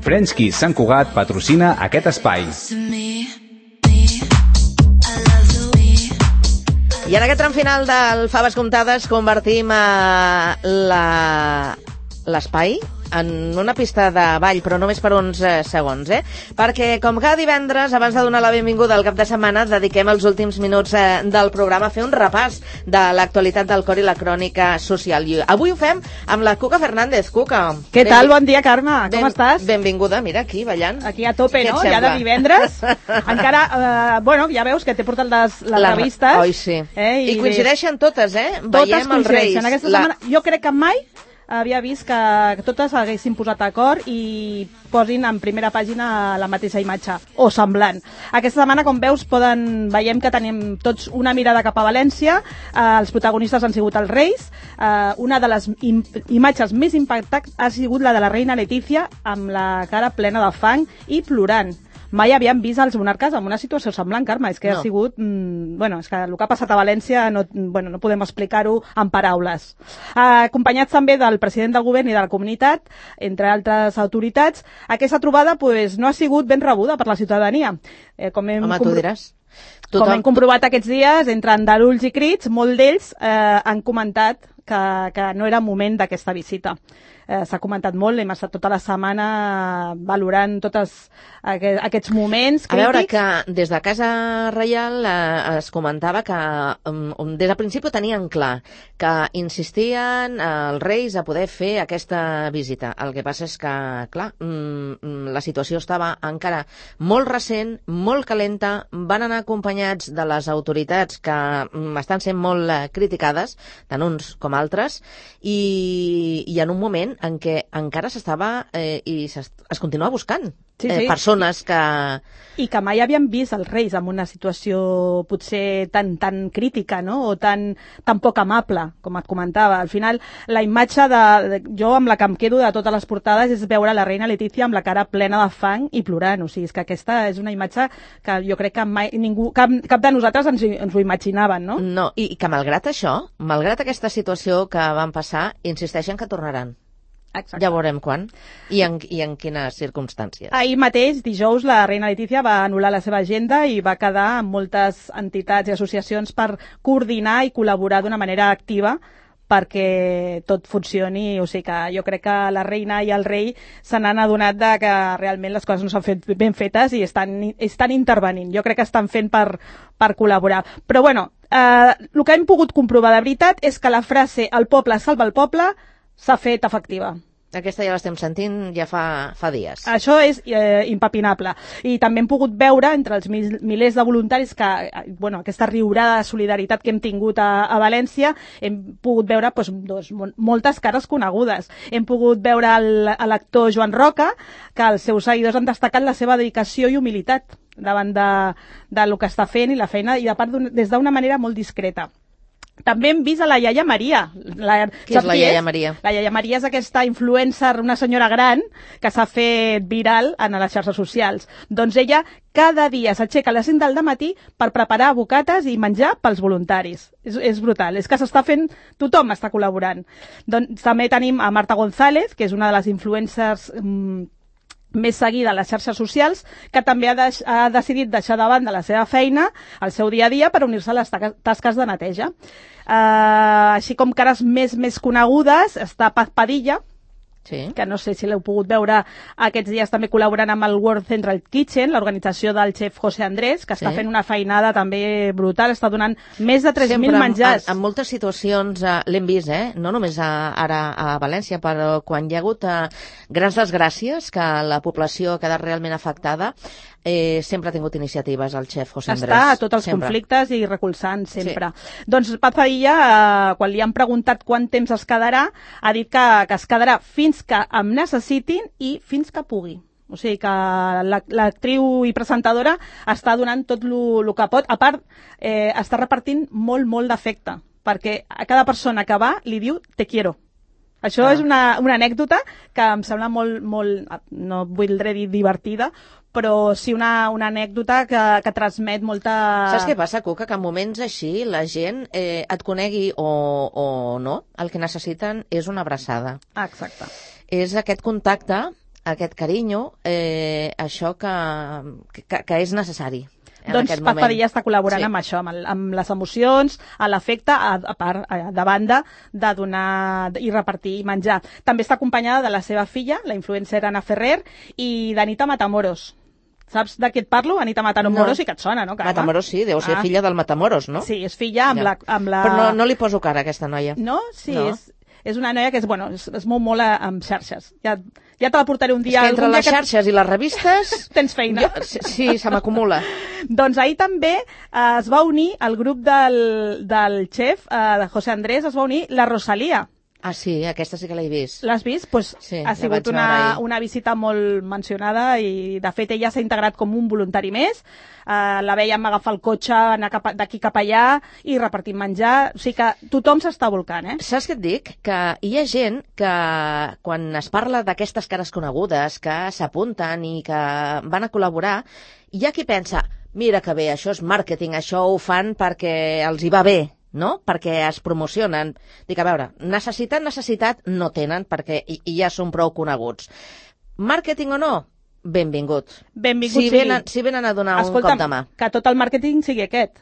French Kiss Sant Cugat patrocina aquest espai. I en aquest tram final del Faves Comptades convertim l'espai en una pista de ball, però només per uns segons, perquè com cada divendres, abans de donar la benvinguda al cap de setmana, dediquem els últims minuts del programa a fer un repàs de l'actualitat del cor i la crònica social. I avui ho fem amb la Cuca Fernández. Cuca. Què tal? Bon dia, Carme. Com estàs? Benvinguda, mira, aquí, ballant. Aquí a tope, no? Ja de divendres. Encara, bueno, ja veus que t'he portat les revistes. Oi, sí. I coincideixen totes, Totes coincideixen. Aquesta setmana, jo crec que mai havia vist que totes haguessin posat d'acord i posin en primera pàgina la mateixa imatge, o semblant. Aquesta setmana, com veus, veiem que tenim tots una mirada cap a València. Els protagonistes han sigut els Reis. Una de les imatges més impactants ha sigut la de la reina Letícia, amb la cara plena de fang i plorant. Mai havíem vist els monarques en una situació semblant, Carme. És que ha sigut... és que el que ha passat a València no podem explicar-ho en paraules. Acompanyats també del president del govern i de la comunitat, entre altres autoritats, aquesta trobada no ha sigut ben rebuda per la ciutadania. Home, tu diràs. Com hem comprovat aquests dies, entre andalulls i crits, molts d'ells han comentat que no era moment d'aquesta visita. S'ha comentat molt, hem estat tota la setmana valorant tots aquests moments crítics. A veure, que des de Casa Reial es comentava que des del principi tenien clar que insistien els Reis a poder fer aquesta visita. El que passa és que, clar, la situació estava encara molt recent, molt calenta, van anar acompanyats de les autoritats que estan sent molt criticades, tant uns com altres, i en un moment en què encara s'estava i es continua buscant persones que... I que mai havien vist els Reis en una situació potser tan crítica, no? O tan poc amable, com et comentava. Al final, la imatge jo amb la que em quedo de totes les portades és veure la reina Letícia amb la cara plena de fang i plorant. O sigui, és que aquesta és una imatge que jo crec que mai cap de nosaltres ens ho imaginàvem, no? No, i que malgrat això, malgrat aquesta situació que van passar, insisteixen que tornaran. Exacte. Ja veurem quan i en quines circumstàncies. Ahir mateix, dijous, la reina Letícia va anul·lar la seva agenda i va quedar amb moltes entitats i associacions per coordinar i col·laborar d'una manera activa perquè tot funcioni. O sigui que jo crec que la reina i el rei se n'han adonat de que realment les coses no s'han fet ben fetes i estan intervenint. Jo crec que estan fent per col·laborar. Però bueno, el que hem pogut comprovar de veritat és que la frase "el poble salva el poble" s'ha fet efectiva. Aquesta ja l'estem sentint ja fa dies. Això és impepinable. I també hem pogut veure entre els milers de voluntaris que, aquesta riurada de solidaritat que hem tingut a València, hem pogut veure moltes cares conegudes. Hem pogut veure l'actor Joan Roca, que els seus seguidors han destacat la seva dedicació i humilitat davant del que està fent i la feina, i des d'una manera molt discreta. També hem vist a la iaia Maria. Qui és la iaia Maria? La iaia Maria és aquesta influencer, una senyora gran, que s'ha fet viral en les xarxes socials. Doncs ella cada dia s'aixeca a les 5 del matí per preparar bocates i menjar pels voluntaris. És brutal, és que s'està fent, tothom està col·laborant. Doncs també tenim a Marta González, que és una de les influencers més seguida a les xarxes socials, que també ha decidit deixar de banda la seva feina, el seu dia a dia, per unir-se a les tasques de neteja. Així com cares més conegudes, està Paz Padilla, que no sé si l'heu pogut veure aquests dies també col·laborant amb el World Central Kitchen, l'organització del xef José Andrés, que està fent una feinada també brutal, està donant més de 3.000 menjars. En moltes situacions l'hem vist, no només ara a València, però quan hi ha hagut grans desgràcies, que la població ha quedat realment afectada, sempre ha tingut iniciatives el xef José Andrés. Està a tots els conflictes i recolzant sempre. Doncs Paz Padilla, quan li han preguntat quant temps es quedarà, ha dit que es quedarà fins que em necessitin i fins que pugui. O sigui que l'actriu i presentadora està donant tot el que pot. A part, està repartint molt d'afecte, perquè a cada persona que va li diu "te quiero". Això és una anècdota que em sembla molt, no voldré dir divertida, però sí una anècdota que transmet molta... Saps què passa, Cuca? Que en moments així la gent et conegui o no, el que necessiten és una abraçada. Exacte. és aquest contacte, aquest carinyo, això que és necessari. Doncs Paz Padilla està col·laborant amb això, amb les emocions, a l'afecte, a part, de banda, de donar i repartir i menjar. També està acompanyada de la seva filla, la influencer Ana Ferrer, i d'Anita Matamoros. Saps de què et parlo? Anita Matamoros sí que et sona, no, Carme? Matamoros sí, deu ser filla del Matamoros, no? Sí, és filla amb la... Però no li poso cara a aquesta noia. No? Sí, no. És una noia que es mou molt amb xarxes. Ja te la portaré un dia... És que entre les xarxes i les revistes... Tens feina. Sí, se m'acumula. Doncs ahir també es va unir al grup del xef, de José Andrés, es va unir la Rosalía. Ah, sí, aquesta sí que l'he vist. L'has vist? Pues sí, ha sigut una visita molt mencionada i, de fet, ella s'ha integrat com un voluntari més. La veiem agafar el cotxe, anar d'aquí cap allà i repartir menjar. O sigui que tothom s'està volcant, Saps què et dic? Que hi ha gent que, quan es parla d'aquestes cares conegudes, que s'apunten i que van a col·laborar, hi ha qui pensa, mira que bé, això és màrqueting, això ho fan perquè els hi va bé, no? Perquè es promocionen. Dic, a veure, necessitat no tenen perquè ja són prou coneguts. Màrqueting o no? Benvingut. Si venen a donar un cop de mà. Que tot el màrqueting sigui aquest,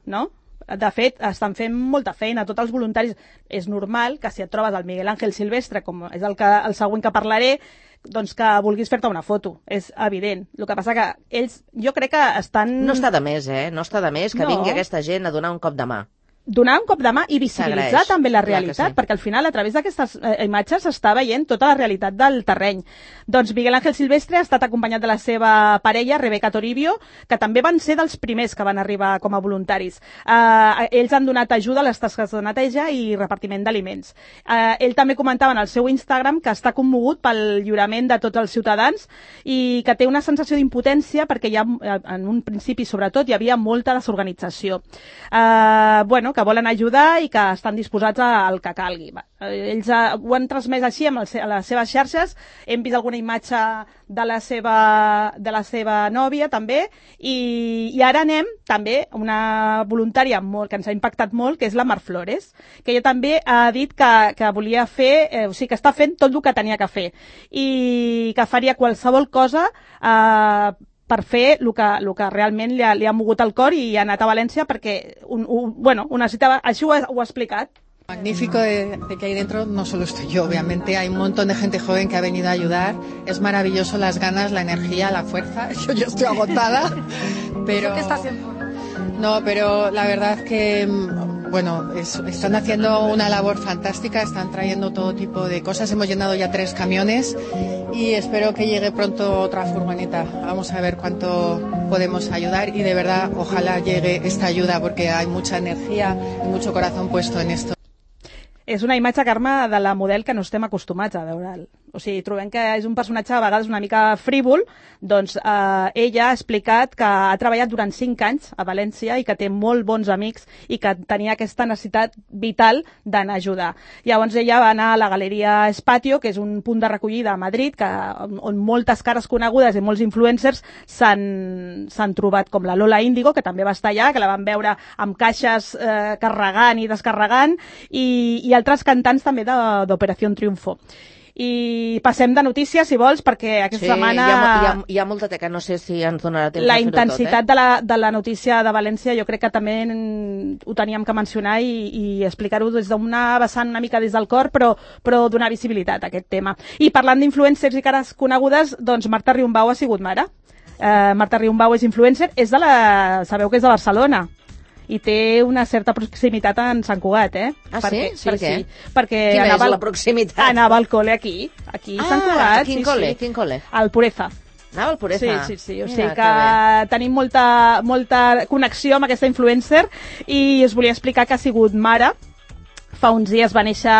no? De fet, estan fent molta feina, tots els voluntaris. És normal que si et trobes el Miguel Ángel Silvestre, com és el següent que parlaré, doncs que vulguis fer-te una foto, és evident. El que passa que ells, jo crec que estan... No està de més, No està de més que vingui aquesta gent a donar un cop de mà. Donar un cop de mà i visibilitzar també la realitat, perquè al final, a través d'aquestes imatges, s'està veient tota la realitat del terreny. Doncs Miguel Ángel Silvestre ha estat acompanyat de la seva parella, Rebeca Toribio, que també van ser dels primers que van arribar com a voluntaris. Ells han donat ajuda a les tasques de neteja i repartiment d'aliments. Ell també comentava en el seu Instagram que està commogut pel lliurament de tots els ciutadans i que té una sensació d'impotència perquè en un principi, sobretot, hi havia molta desorganització. Que volen ajudar i que estan disposats al que calgui. Ells ho han transmès així a les seves xarxes. Hem vist alguna imatge de la seva nòvia també i ara anem també a una voluntària que ens ha impactat molt, que és la Mar Flores, que ella també ha dit que volia fer, o sigui, que està fent tot el que tenia que fer i que faria qualsevol cosa per fer el que realment li ha mogut el cor i ha anat a València perquè ho necessitava, així ho ha explicat. Magnífico de que ahí dentro no solo estoy yo, obviamente hay un montón de gente joven que ha venido a ayudar, es maravilloso las ganas, la energía, la fuerza, yo estoy agotada, pero... ¿Qué está haciendo? No, pero la verdad que... están haciendo una labor fantástica, están trayendo todo tipo de cosas. Hemos llenado ya 3 camiones y espero que llegue pronto otra furgoneta. Vamos a ver cuánto podemos ayudar y de verdad ojalá llegue esta ayuda porque hay mucha energía y mucho corazón puesto en esto. És una imatge, Carme, de la model que no estem acostumats a veure'l. O sigui, trobem que és un personatge a vegades una mica frívol, doncs ella ha explicat que ha treballat durant 5 anys a València i que té molt bons amics i que tenia aquesta necessitat vital d'anar a ajudar. Llavors ella va anar a la Galeria Espatio, que és un punt de recollida a Madrid, on moltes cares conegudes i molts influencers s'han trobat, com la Lola Índigo, que també va estar allà, que la van veure amb caixes carregant i descarregant, i altres cantants també d'Operació Triunfo. I passem de notícies, si vols, perquè aquesta setmana... Hi ha molta teca, no sé si ens donarà temps la intensitat de la notícia de València jo crec que també ho teníem que mencionar i explicar-ho des d'una vessant una mica des del cor, però donar visibilitat a aquest tema. I parlant d'influencers i cares conegudes, doncs Marta Riumbau ha sigut mare. Marta Riumbau és influencer, sabeu que és de Barcelona, i té una certa proximitat en Sant Cugat, Ah, sí? Per què? Sí, perquè quina és la proximitat? Anava al col·le aquí a Sant Cugat. Quin col·le? Quin col·le? Al Pureza. Anava al Pureza? Sí. O sigui que tenim molta connexió amb aquesta influencer i us volia explicar que ha sigut mare. Fa uns dies va néixer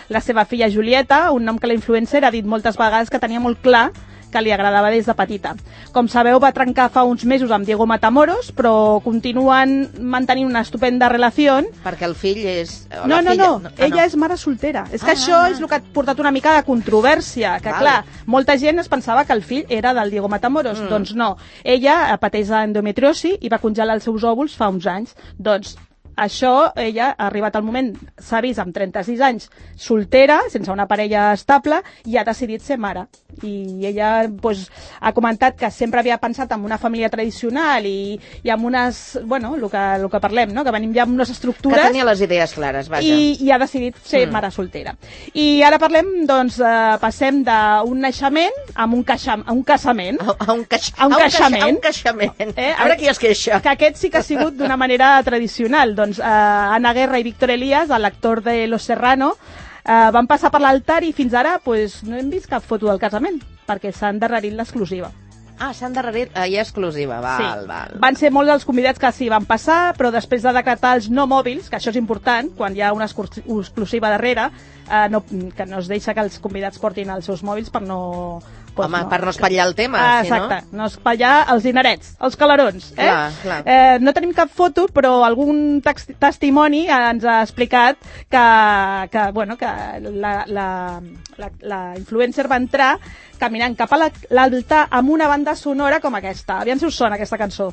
la seva filla Julieta, un nom que la influencer ha dit moltes vegades que tenia molt clar que li agradava des de petita. Com sabeu, va trencar fa uns mesos amb Diego Matamoros, però continuen mantenint una estupenda relació. Perquè el fill és... No, ella és mare soltera. És que això és el que ha portat una mica de controvèrsia, que clar, molta gent es pensava que el fill era del Diego Matamoros. Doncs no. Ella pateix endometriosi i va congelar els seus òvuls fa uns anys. Doncs això, ella ha arribat al moment, s'ha vist amb 36 anys, soltera, sense una parella estable, i ha decidit ser mare. I ella doncs, ha comentat que sempre havia pensat en una família tradicional i amb unes, bueno, el que parlem, no? Que venim ja amb unes estructures... Que tenia les idees clares, vaja. I ha decidit ser mare soltera. I ara parlem, doncs, passem d'un naixement a un casament. A un caixament. A veure qui es queixa. Que aquest sí que ha sigut d'una manera tradicional. Doncs Ana Guerra i Víctor Elías, l'actor de Los Serrano, van passar per l'altar i fins ara pues, no hem vist cap foto del casament, perquè s'ha endarrerit l'exclusiva. Ah, s'ha endarrerit, hi ha exclusiva, val. Van ser molts els convidats que s'hi van passar, però després de decretar els no mòbils, que això és important, quan hi ha una exclusiva darrere, que no es deixa que els convidats portin els seus mòbils per no... per no espatllar el tema, exacte, no espatllar els dinerets, els calarons. Clar. No tenim cap foto, però algun testimoni ens ha explicat que la influencer va entrar caminant cap a l'altar amb una banda sonora com aquesta. Aviam si us sona aquesta cançó.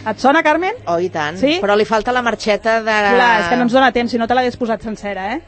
Et sona, Carmen? Oh, i tant. Sí? Però li falta la marxeta de... Clar, és que no ens dona temps, si no te l'hagués posat sencera,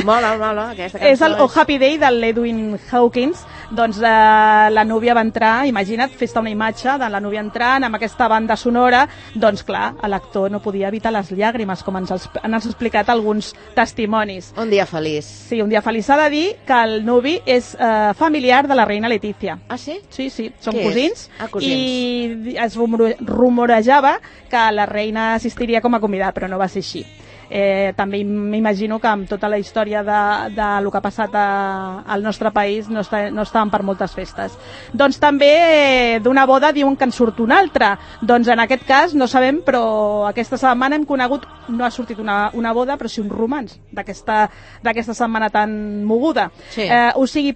Mola, aquesta cançó. És el Oh Happy Day de l'Edwin Hawkins. Doncs la núvia va entrar, imagina't, fes-te una imatge de la núvia entrant amb aquesta banda sonora. Doncs clar, l'actor no podia evitar les llàgrimes, com ens han explicat alguns testimonis. Un dia feliç. Sí, un dia feliç. S'ha de dir que el nuvi és familiar de la reina Letícia. Ah, sí? Sí, són cosins. Cosins. I es rumorejava que la reina assistiria com a convidat, però no va ser així. També m'imagino que amb tota la història de lo que ha passat al nostre país no estaven per moltes festes. Doncs també d'una boda diuen que en surt una altra. Doncs en aquest cas no sabem, però aquesta setmana hem conegut, no ha sortit una boda, però sí un romanç d'aquesta setmana tan moguda. Sí. O sigui,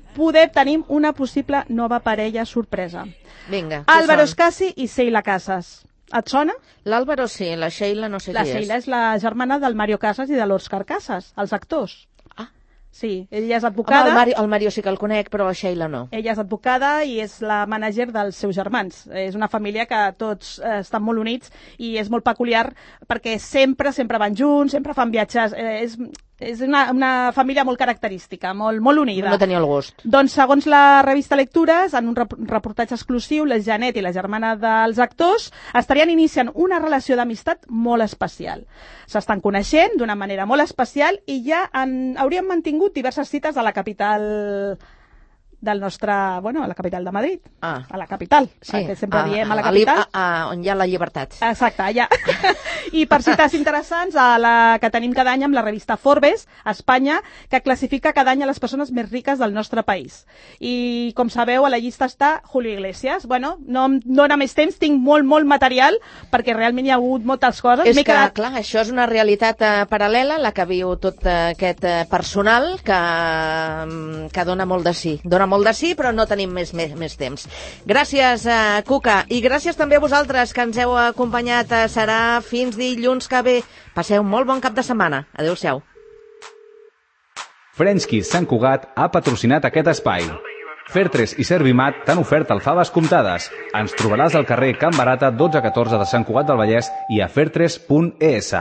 tenim una possible nova parella sorpresa. Vinga, Álvaro Escasi i Sheila Casas. Et sona? L'Àlvaro sí, la Sheila no sé qui és. La Sheila és la germana del Mario Casas i de l'Òscar Casas, els actors. Ah. Sí, ella és advocada. Home, el Mario sí que el conec, però la Sheila no. Ella és advocada i és la mànager dels seus germans. És una família que tots estan molt units i és molt peculiar perquè sempre van junts, sempre fan viatges. És una família molt característica, molt unida. No tenia el gust. Doncs, segons la revista Lectures, en un reportatge exclusiu, la Janet i la germana dels actors estarien iniciant una relació d'amistat molt especial. S'estan coneixent d'una manera molt especial i ja haurien mantingut diverses cites a la capital del nostre, a la capital de Madrid. Ah. A la capital, sí. Que sempre diem a la capital. On hi ha la llibertat. Exacte, allà. I per cites interessants, la que tenim cada any amb la revista Forbes, a Espanya, que classifica cada any a les persones més riques del nostre país. I, com sabeu, a la llista està Julio Iglesias. Bueno, no dona més temps, tinc molt material, perquè realment hi ha hagut moltes coses. És que, clar, això és una realitat paral·lela, la que viu tot aquest personal que dona molt de sí. Dona molt de sí, però no tenim més temps. Gràcies, Cuca, i gràcies també a vosaltres que ens heu acompanyat. Serà fins dilluns que ve. Passeu un molt bon cap de setmana. Adéu-siau. French Kiss Sant Cugat ha patrocinat aquest espai. Fertres i Servimat t'han ofert alfaves comptades. Ens trobaràs al carrer Can Barata 1214 de Sant Cugat del Vallès i a fertres.es.